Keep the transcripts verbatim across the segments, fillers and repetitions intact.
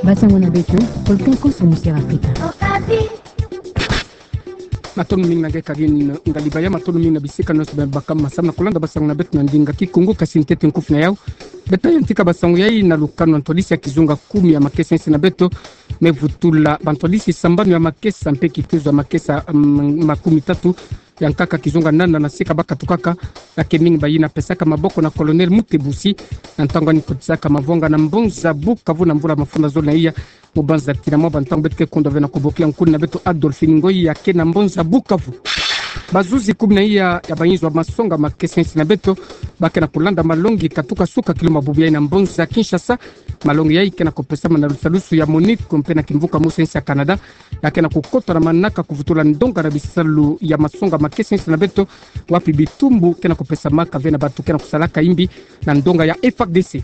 Basango na beto, Volcan Konso, Musière Afrika. Matondo mingi na nge Karine Ngalibaya, matondo mingi na bisika nyonso beno baka ma samu na kulanda basango na beto na ndinga Kikongo, kasi ntete nkufi na yau. Beto yantika basango yai na lukanu ya ntwadisi ya kizunga kumi ya makesa yinsi na beto, me vutula bantwadisi sambanu ya makesa mpe kitezo ya makesa, mm, makumi tatu ya nkaka kizunga nana na seka bakatukaka, ya ke mingi bayina pesaka maboko na Colonel Mutebusi, na ntangu ani kotisaka mavwanga na mbonza Bukavu na mvula mafunda zole na iya, mu banza tina mwa bantangu beto ke kondwa ve na kobokila nkuni na beto Adolphine Ngoyi ya ke na mbonza Bukavu. Bazuzi kumi na iya ya bayinzo ya masonga makesa yinsi na beto, ba ke na kulanda malongi katuka suka kilumbu bubu yai na mbonza Kinshasa. Malongi yai ke na kopesama na lusalusu ya MONUC mpe na kimvuka mosi ya nsi ya Canada, ya ke na kukota na manaka kuvutula ndonga na bisalu ya masonga makesa yinsi na beto, wapi bitumbu ke na kopesamaka ve na bantu ke na kusalaka imbi na ndonga ya F A R D C.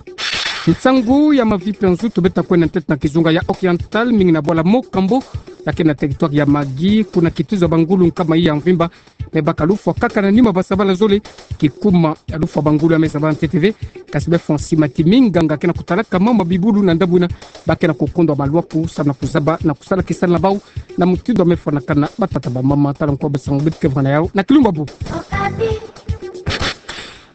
Nsangu ya mavipe nzutu beta kwenda ntete na kizunga ya Oriental, mingi na bwala Mocambo, ya ke na territoire ya Magui, kuna kituza bangulu nkama iya mvimba me baka lufwa kaka na nima basabala zole, kikuma ya lufwa bangulu ya me zaba ntete ve, kasi befwa nsi mati minganga ke na kutalaka mama bibulu na ndambu yina, ba ke na kukondwa malwaku samu na kuzaba na kusala kisalu na bau na mutindu ya me fwanakana batata bamama. Tala nko basango beto ke vwa na yau na kilumbu bubu.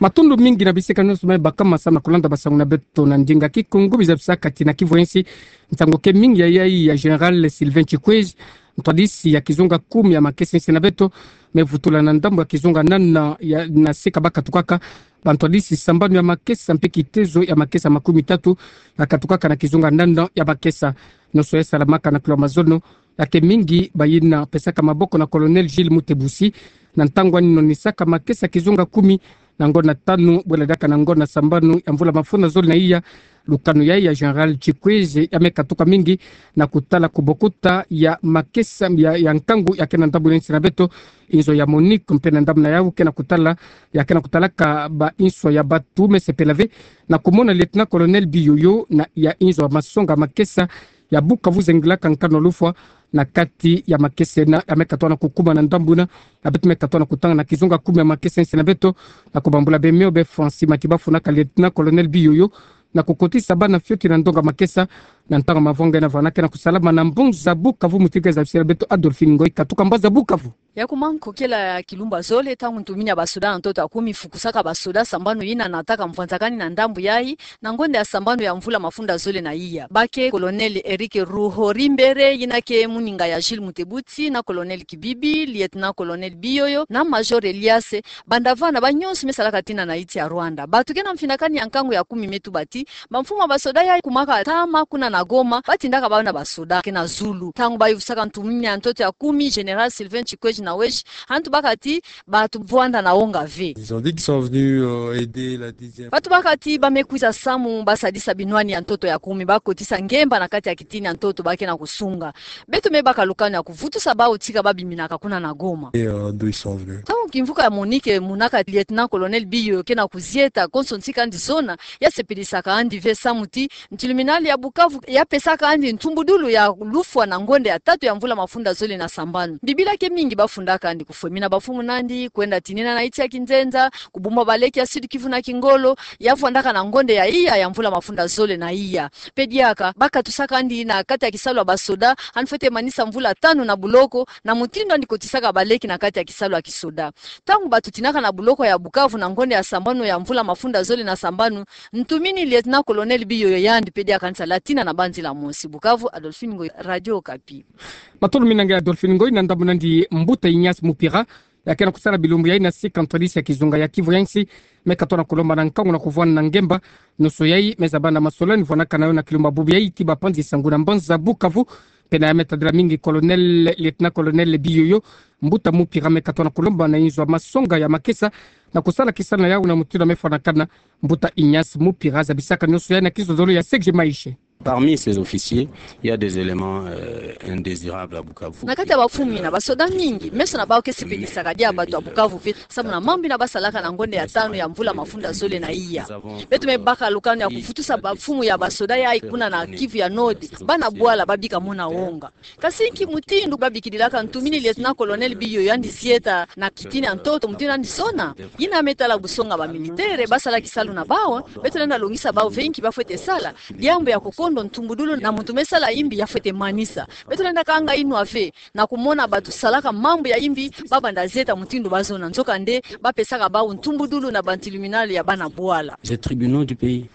Matondo mingi na bisika nyonso beno baka ma samu na kulanda basango na beto na ndinga Kikongo, biza bisaka tina Kivu ya nsi. Nsangu ke mingi ya yai ya Général Sylvain Tchikwezi, ntwadisi ya kizunga kumi ya makesa yinsi na beto, me vutula na ndambu ya kizunga nana ya, na seka bakatukaka bantwadisi sambanu ya makesa mpe kitezo ya makesa makumi tatu, bakatukaka na kizunga nana ya makesa. Nyonso yai salamaka na kilo mazono, ya ke mingi bayina pesaka maboko na Colonel Gilles Mutebusi, na ntangu ani nonisaka makesa kizunga kumi, na ngonda tanu bwela diaka na ngonda sambanu ya mvula mafunda zole na iya. Lukanu yai ya Général Tchikwezi ya me katuka mingi na kutala kubokuta ya makesa ya, ya nkangu ya ke na ndambu yinsi na beto, inzo ya MONUC mpe na ndambu na yau ke na kutala, ya ke na kutalaka bainso ya bantu me sepela ve na kumona Lieutenant-colonel Biyoyo na ya inzo ya masonga makesa ya Bukavu zengilaka nkanu lufwa na kati ya makesa yina ya me katuka na kukuma na ndambu yina. Ya beto me katuka na kutanga na kizunga kumi ya makesa yinsi na beto, na kubambula bemio befwa nsi mati bafwanaka Lieutenant-colonel Biyoyo na kukotisa bana fioti na ndonga makesa, na ntangu mavwanga yina vwanda ke na kusalama na mbonza Bukavu. Mutika zabisila beto Adolphine Ngoyi katuka mbonza Bukavu. Ya kuma nkokela ya kilumbu zole, ntangu ntumini ya basoda na ntoto ya kumi fukusaka basoda sambanu yina nataka mvwanzakani na ndambu yai, na ngonda ya sambanu ya mvula mafunda zole na iya, ba ke Colonel Eric Ruhorimbere, yina ke muninga ya Gilles Mutebusi, na Colonel Kibibi, Lieutenant-colonel Biyoyo, na Major Elias. Banda vana, banyonso me salaka tina na insi ya Rwanda. Bantu ke na mfinakani ya nkangu ya kumi me tuba ti bamfumu ya basoda yai kumaka ntama kuna na Goma, batindaka bana basoda ke na zulu. Ntangu bayuvusaka ntumini ya ntoto ya kumi, Général Sylvain Tchikwezi na Weji, ha ntu baka ti bantu vwanda na wonga ve. Ils ont dit qu'ils sont venus, euh, aider la dixième. Bantu baka ti ba me kwiza samu basadisa binwani ya ntoto ya kumi, bakotisa ngemba na kati ya kitini ya ntoto ba ke na kusunga. Beto me baka lukanu ya kuvutusa bau tika babiminaka kuna na Goma. Et, euh, d'où ils sont venus. Ntangu kimvuka ya MONUC monaka Lieutenant-colonel Biyoyo ke na kuzieta konso nsi kandi zona, ya sepelisaka andi ve samu ti ntiluminali ya Bukavu ya pesaka andi ntumbudulu ya lufwa na ngonda ya tatu ya mvula mafunda zole na sambanu. Bibila ke mingi bafundaka andi kufwemina bamfumu nandi, kwenda tinina na insi ya kinzenza, kubumba baleki ya Sud-Kivu na kingolo, ya vwandaka na ngonda ya iya ya mvula mafunda zole na iya. Mpe diaka, bakatusaka andi na kati ya kisalu ya basoda, andi fwete manisa mvula tanu na buloko, na mutindu andi kotisaka baleki na kati ya kisalu ya kisoda. Ntangu bantu tinaka na buloko ya Bukavu na ngonda ya sambanu ya mvula mafunda zole na sambanu, ntumini Lieutenant-colonel Biyoyo yandi mpe diaka andi sala tina na banzila mosi. Bukavu, Adolphine Ngoyi, Radio Okapi. Matondo mingi na nge Adolphine Ngoyi. Na ndambu nandi, mbuta Ignace Mupira, ya ke na kusala bilumbu yai na sika ntwadisi ya kizunga ya Kivu ya nsi, me katuka na kulomba na nkangu na kuvwanda na ngemba. Nyonso yai me zaba na masolani vwanaka na yo na kilumbu bubu yai ti bapanzi sangu na mbanza Bukavu. Mpe na ya me tadila mingi Colonel, Lieutenant-colonel Biyoyo, mbuta Mupira me katuka na kulomba na inzo ya masonga ya makesa na kusala kisalu na yau na mutindu ya me fwanakana. Mbuta Ignace Mupira zabisaka nyonso yai na kizololo ya Serge Maishe. Parmi ces officiers, il y a des éléments, euh, indésirables à Bukavu. Na kati ya bamfumu yina, basoda mingi, meso na bau ke sepelisaka diaka bantu ya Bukavu ve, samu na mambu yina basalaka na ngonda ya tanu ya mvula mafunda zole na iya. Beto me baka lukanu ya kuvutusa bamfumu ya basoda yai kuna na Kivu ya Nord, bana bwala babika mona wonga. Kasi nki mutindu babikidilaka ntumini Lieutenant-colonel Biyoyo yandi zieta na kitini ya ntoto mutindu yandi zona? Yina me tala busonga bamilitaire basala kisalu na bau, beto lenda longisa bau ve nki bafwete sala, diambu ya kokono ntumbudulu na muntu me sala imbi ya fwete manisa. Beto lenda kanga inwa ve na kumona bato salaka mambu ya imbi, babanda zeta mutindu bazona. Nzokande, bapesaka bau ntumbudulu na ba tribunal ya bana bwala. Les tribunaux du pays.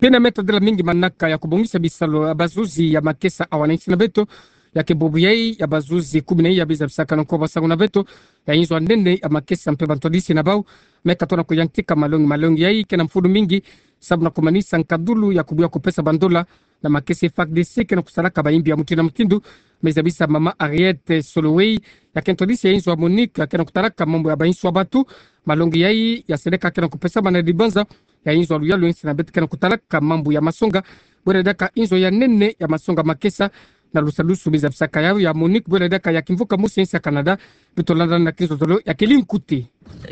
Pene me tadila mingi manaka ya kubongisa bisalu ya bazuzi ya makesa awa na insi na beto. Ya ke bubu yai ya bazuzi kumi na iya biza bisaka na nko basangu na beto ya inzo ya nene ya makesa mpe bantwadisi na bau me katona kuyantika malongi. Malongi yai ke na mfunu mingi, sababu na kumanisa nkadulu ya kubuya kupesa bandola na makesa F A R D C ke na kusalaka baimbi ya mutindu na mutindu. Me zabisa mama Harriet Soloway, ya ke ntwadisi ya inzo ya Monique, ya ke na kutalaka mambu ya bainswa batu. Malongi yai ya seleka ke na kupesama na dibanza ya inzo ya luyalu ya insi na beto ke na kutalaka mambu ya masonga. Bwela diaka inzo ya nene ya masonga makesa na lusalusu biza bisaka yau ya Monique, bwela diaka ya kimvuka mosi ya insi ya Canada. Beto landa na kizozolo ya keli nkuti.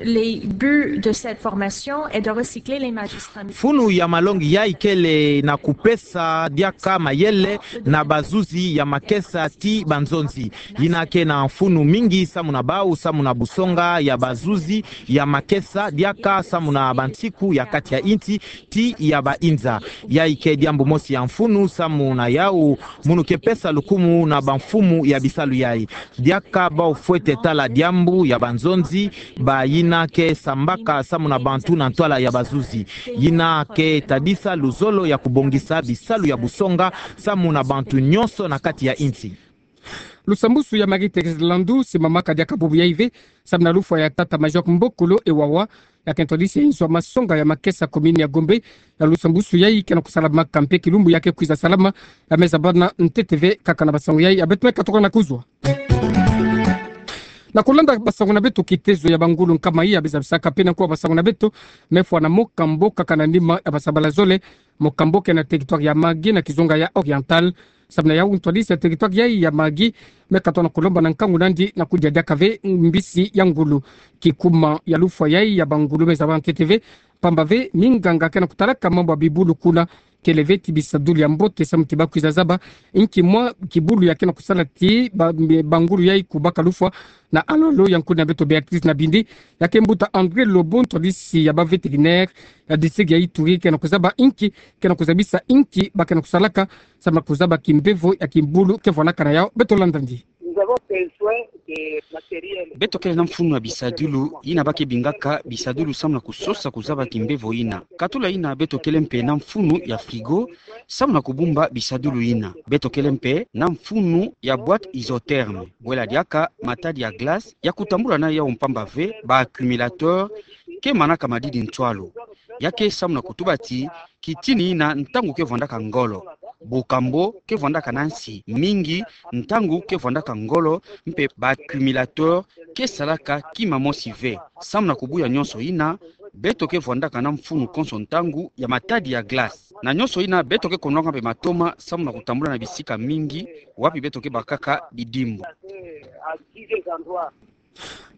Les buts de cette formation est de recycler les magistrats. Mfunu ya malongi yai kele na kupesa diaka mayele na bazuzi ya makesa ti banzonzi. Yina ke na mfunu mingi samu na bau, samu na busonga ya bazuzi ya makesa diaka samu na bansiku ya kati ya insi ti ya bainza. Yai ke diambu mosi ya mfunu samu na yau munu ke pesa lukumu na bamfumu ya bisalu yai. Diaka bau fwete tala diambu ya banzonzi, ba yina ke sambaka samu na bantu na ntwala ya bazuzi. Yina ke tadisa luzolo ya kubongisa bisalu ya busonga samu na bantu nyonso na kati ya insi. Lusambusu ya Marie-Thérèse Landou simamaka diaka bubu yai ve, samu na lufwa ya tata Majok Mbokolo Ewawa, ya ke ntwadisi ya inzo ya masonga ya makesa commune ya Gombe. Ya lusambusu yai ke na kusalamaka mpe kilumbu ya ke kwiza salama, ya me zabana ntete ve kaka na basangu yai ya beto me katoka na kuzwa. Na kulanda basangu na beto, kitezo ya bangulu nkama iya biza bisaka pene nko basangu na beto me fwa na Mocambo kaka na nima ya basabala zole. Mocambo ke na territoire ya Magui na kizunga ya Oriental. Samu na yau ntwadisi ya territoire yai ya Magui me katona kulomba na nkangu nandi na kudia diaka ve mbisi ya ngulu. Kikuma ya lufwa yai ya bangulu me zabana ntete ve, pamba ve minganga ke na kutalaka mambu ya bibulu kuna kele ve ti bisadulu ya mbote samu ti bakwiza zaba inki mwa kibulu ya ke na kusala ti ba-, bangulu yai kubaka lufwa. Na alo-alo ya nkuna beto Béatrice Nabindi, ya ke mbuta André Lobo, ntwadisi ya ba vétérinaire ya district ya Ituri, ke na kuzaba inki ke na kuzabisa inki ba ke na kusalaka samu na kuzaba kimbevo ya kibulu ke vwanakana yau. Beto landa ndi. Nous avons besoin de matériel. Beto kele na mfunu ya bisadulu yina ba ke bingaka bisadulu samu na kusosa kuzaba kimbevo yina. Katula yina, beto kele mpe na mfunu ya frigo samu na kubumba bisadulu yina. Beto kele mpe na mfunu ya boîte isotherme, bwela diaka matadi ya glace ya kutambula na yau, pamba ve ba accumulateur ke manaka madidi ntwalu. Ya ke samu na kutuba ti kitini yina ntangu ke vwandaka ngolo, bukambo ke vwandaka na nsi mingi ntangu ke vwandaka ngolo, mpe ba accumulateur ke salaka kima mosi ve. Samu na kubuya nyonso yina, beto ke vwandaka na mfunu konso ntangu ya matadi ya glace. Na nyonso yina, beto ke konolaka mpe matoma samu na kutambula na bisika mingi wapi beto ke bakaka bidimbu.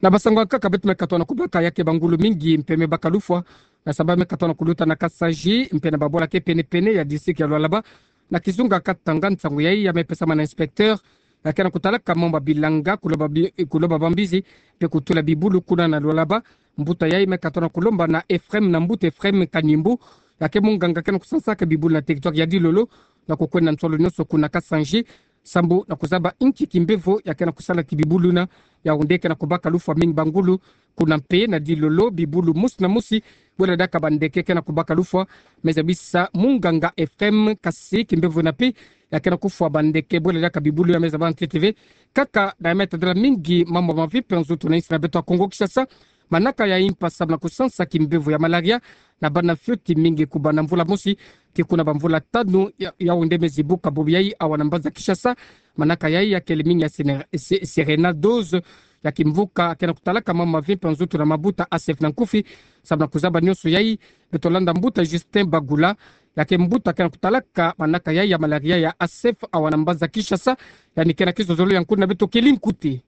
Na basangu ya nkaka beto me katona kubaka, ya ke bangulu mingi mpe me baka lufwa, na sababu me katona kuluta na Kasaji mpe na babwala ke pene-pene ya district ya Lualaba, na kizunga Katanga. Nsangu yai ya me pesama na inspecteur ya ke na kutalaka mambu ya bilanga, kuloba bi-, kuloba bambizi mpe kutula bibulu kuna na Lualaba. Mbuta yai me katona kulomba na Ephraim, na mbuta Ephraim Kanimbu, ya ke munganga ke na kusansaka bibulu na territoire ya Dilolo, na kukwenda ntwalu nyonso kuna Kasaji, sambu na kuzaba inki kimbevo ya ke na kusala ti bibulu yina. Yaoundé ke na kubaka lufwa mingi bangulu kuna mpe na Dilolo, bibulu mosi na mosi, bwela diaka bandeke ke na kubaka lufwa. Me zabisa munganga Ephraim, kasi kimbevo yina mpe ya ke na kufwa bandeke, bwela diaka bibulu yina. Me zabana ntete ve kaka na ya me tadila mingi mambu mavi mpe nzutu na insi na beto ya Kongo Kinshasa. Manaka ya impa samu na kusansa kimbevo ya malaria na bana fioti mingi kubanda mvula mosi tii kuna bamvula tanu, ya, Yaoundé me zibuka bubu yai awa na mbanza Kinshasa. Manaka yai ya kele mingi ya sene-, se-, sérena dose. Ya kimvuka ke na kutalaka mambu mavi mpe nzutu na mabuta A S F na nkufi. Samu na kuzaba nyonso yai, beto landa mbuta Justin Bagula, ya ke mbuta ke na kutalaka manaka yai ya malaria ya A S F awa na mbanza Kinshasa. Yandi ke na kizozolo ya nkuna beto Kelly Nkuti.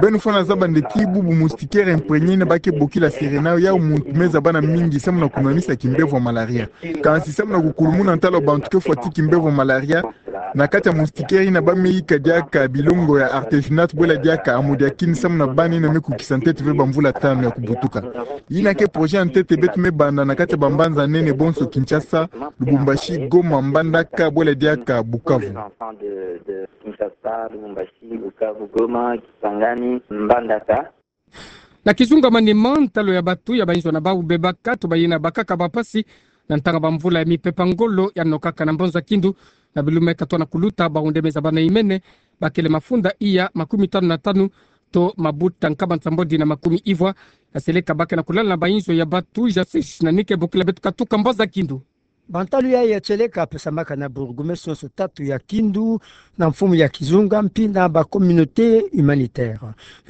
Beno fwana zaba nde ti bubu moustiquaire imprégné yina ba ke bokila Serena, yau muntu me zaba na mingi samu na kunwanisa kimbevo ya malaria. Kansi samu na kukulumuna ntalo bantu ke fwati kimbevo ya malaria, na kati ya moustiquaire yina ba me yika diaka bilongo ya artesunate bwela diaka amodiakine samu na bana yina me kukisa ntete ve bamvula tanu ya kubutuka. Yina ke projet ya ntete beto me banda na kati ya bambanza nene bonso Kinshasa, Lubumbashi, Goma, Mbandaka bwela diaka Bukavu. Na kizunga manima, ntalo ya batu ya bainzo na bau bebaka to bayina bakaka bampasi na ntanga bamvula ya mipepa ngolo ya nokaka na Mbanza Kindu. Na bilu me katona kuluta, bahunde me zaba na imene bakele mafunda iya makumi tanu na tanu to mabuta nkaba nsambwadi na makumi ivwa ya seleka ba ke na kulala na bainzo ya batu. Jean Six na nike bokila beto katuka Mbanza Kindu. Bantalu ya, ya seleka pesamaka na bourgmestre nyonso tatu ya Kindu, na mfumu ya kizunga, mpi na ba communauté humanitaire.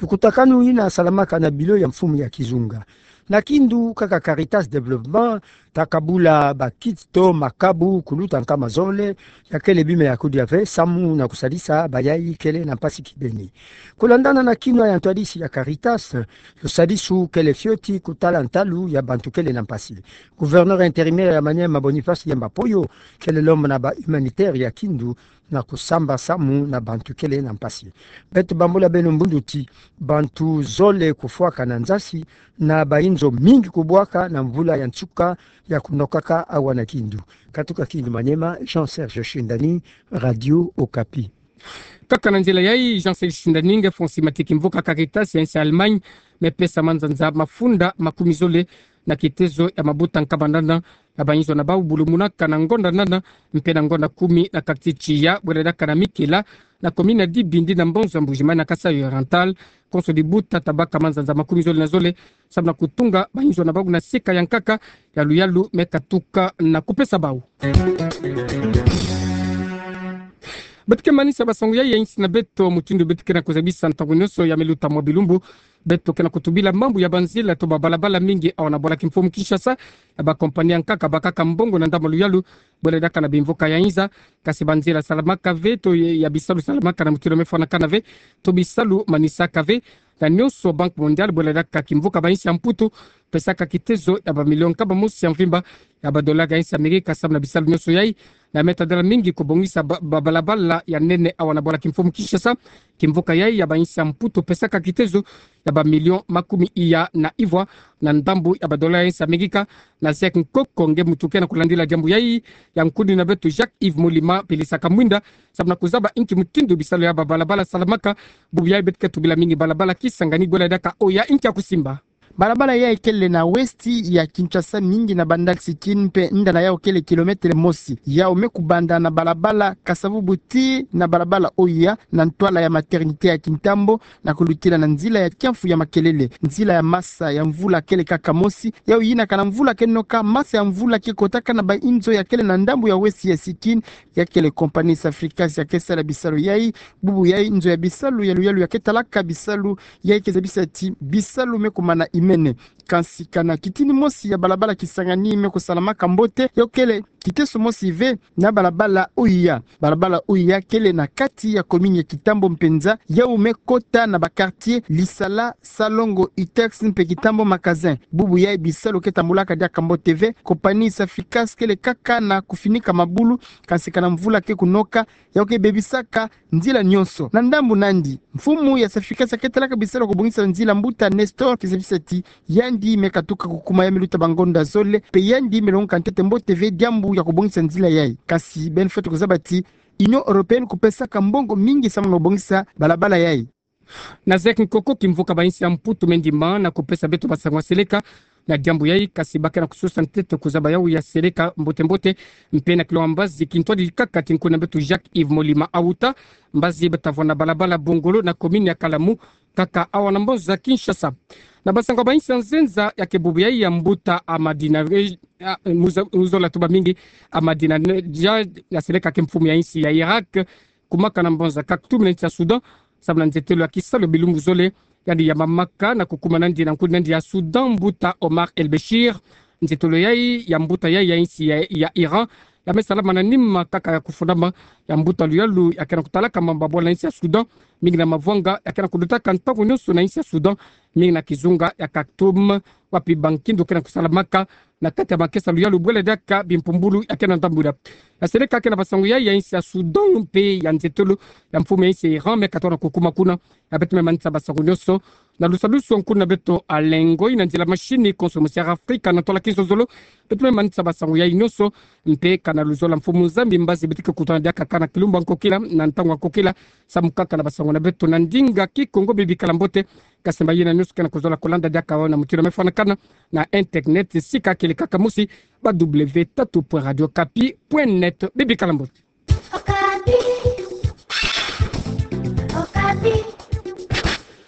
Lukutakanu yina salamaka na bilo ya mfumu ya kizunga. Na Kindu, kaka Caritas Développement ta kabula ba kit to makabu kuluta nkama zole ya kele bima ya kudia ve samu na kusadisa bayai kele na mpasi kibeni. Kulandana na kinwa ya ntwadisi ya Caritas, lusadisu kele fioti kutala ntalu ya bantu kele na mpasi. Gouverneur intérimaire ya Maniema, Boniface Yemba Poyo, kele lomba na ba humanitaire ya Kindu na kusamba samu na bantu kele na mpasi. Beto bambula beno mbundu ti bantu zole kufwaka na nzasi na bainzo mingi kubwaka na mvula ya nsuka ya kunokaka awa na Kindu. Katuka Kindu Maniema, Jean Serge Shindani, Radio Okapi. Kaka na nzila yai, Jean Serge Shindani, nge fonsi mati kimvuka Caritas ya insi Allemagne me pesa manzanza mafunda makumi zole na kitezo ya mabuta nkaba nana ya bainzo na bau bulumunaka na ngonda nana mpe na ngonda kumi na quartier Tiya, bwela diaka na Mikela, na commune ya Dibindi, na Mbanza Mbuji-Mayi, na Kasaï Oriental. Konso dibuta tabaka manzanza makumi zole na zole samu na kutunga bainzo na bau na sika ya nkaka ya luyalu me katuka na kupesa bau. Beto ke manisa basango yai ya insi na beto mutindu beto ke na kuzabisa ntangu nyonso ya me luta mwa bilumbu. Beto ke na kutubila mambu ya banzila to babalabala mingi awa na bwala kimfumu Kinshasa, ya bakompani ya nkaka bakaka mbongo na ndambu ya luyalu, bwela diaka na bimvuka ya inza. Kasi banzila salamaka ve to ya bisalu salamaka na mutindu me fwanakana ve to bisalu manisaka ve. Na nyonso Banque Mondiale, bwela diaka kimvuka bainsi ya Mputu, pesaka kitezo ya bamilio nkaba mosi ya mvimba ya badollar ya insi Amerika samu na bisalu nyonso yai. Na me tadala mingi kubongisa ba, babalabala ya nene awa na bwala kimfumu Kinshasa, kimvuka yai ya bainsi ya Mputu pesaka kitezo ya bamilio makumi iya na ivwa na ndambu ya badollar ya insi Amerika. Na Zek Nkoko, nge muntu ke na kulandila diambu yai, ya nkuni na beto Jacques Yves Molima pelisaka mwinda samu na kuzaba inki mutindu bisalu ya babalabala salamaka. Bubu yai beto ke tubila mingi balabala Kisangani, bwela diaka oya, inki ya kusimba. Balabala yai kele na westi ya Kinshasa, mingi na bandal Sikini mpe nda na yau kele kilometre mosi. Yau me kubanda na balabala Kasavubu tii na balabala oya na ntwala ya maternité ya Kintambo, na kulutila na nzila ya kiamfu ya makelele, nzila ya masa ya mvula kele kaka mosi. Yau yinaka na mvula ke noka, masa ya mvula ke kotaka na bainzo ya kele na ndambu ya westi ya Sikini, ya kele compagnie Safricas ya ke sala bisalu yai. Bubu yai nzo ya bisalu ya luyalu ya ke talaka bisalu yai ke zabisa ti bisalu me kumana imene. Kansi kana kitini mosi ya balabala Kisangani me kusalamaka mbote, yau kele kiteso mosi ve na balabala oya. Balabala oya kele na kati ya commune ya Kintambo mpenza, yau me kota na ba quartier Lisala, Salongo, Itex mpe Kintambo Magasin. Bubu yai bisalu ke tambulaka diaka mbote ve. Compagnie Safricas kele kaka na kufinika mabulu, kansi kana mvula ke kunoka, yau ke bebisaka nzila nyonso. Na ndambu nandi, mfumu ya Safricas ya ke talaka bisalu ya kubongisa nzila, mbuta Nestor ke zabisa ti yandi me katuka kukuma, ya me luta bangonda zole, mpe yandi me longoka ntete mbote ve diambu ya kubongisa nzila yai. Kansi beno fwete kuzaba ti Union Européenne kupesaka mbongo mingi samu na kubongisa balabala yai. Na Zek Nkoko, kimvuka bainsi ya Mputu me ndima na kupesa beto basango ya seleka na diambu yai, kansi ba ke na kusosa ntete kuzaba yau ya seleka mbote mbote. Mpe na kilonga mbazi, kintwadi kaka ti nkuni na beto Jacques Yves Molima awuta, mbazi bata vwa na balabala Bongolo na commune ya Kalamu, kaka awa na mbozo ya Kinshasa. Na basango ya bainsi ya nzenza, ya ke bubu yai ya mbuta Amadina, eh, ah, muza-, muzola tuba mingi, Amadina ne-, ya, ya seleka ke mfumu ya insi ya Irak, kumaka na mbozo ya Khartoum na insi ya Soudan, samu na nzetelo ya kisalu bilumbu zole yandi ya mamaka na kukuma nandi na nkuni nandi ya Soudan, mbuta Omar El-Béchir. Nzetelo yai ya mbuta yai ya insi ya, ya Iran ya me salama na nima kaka ya kufundama ya mbuta luyalu ya kena kutalaka mambabwala na insi ya Soudan, mingi na mavwanga ya kena kudutaka ntangu nyonso na insi ya Soudan, mingi na kizunga ya Khartoum, wapi bankindo kena kusalamaka na kati ya makesa luyalu bwela diaka bimpumbulu ya kena ndambula. Ya sele kake na basango ya, ya insi ya Soudan mpe ya nzetolo ya mfumu ya insi ya Iran me katona kukuma kuna. Ya beto me manisa basango nyonso na lusalusu nkuna beto Alengo, ina nzila mashini konso Musiara Afrika na tola kinsozolo. Beto me manisa basango ya nyonso mpe kana luzola mfumu Nzambi mbazi beto ke kutana diaka kaka na kilumbu ya nkokila, na ntangu ya nkokila, samu kaka na basango na beto na ndinga Kikongo. Bibikala mbote. Kasi mba yina nyonso kena kuzola kulanda diaka na mutindu ya me fwanakana na internet, sika kele kaka mosi, ba w tatu point radio kapi point net. Bibikala mbote. Okapi. Okapi.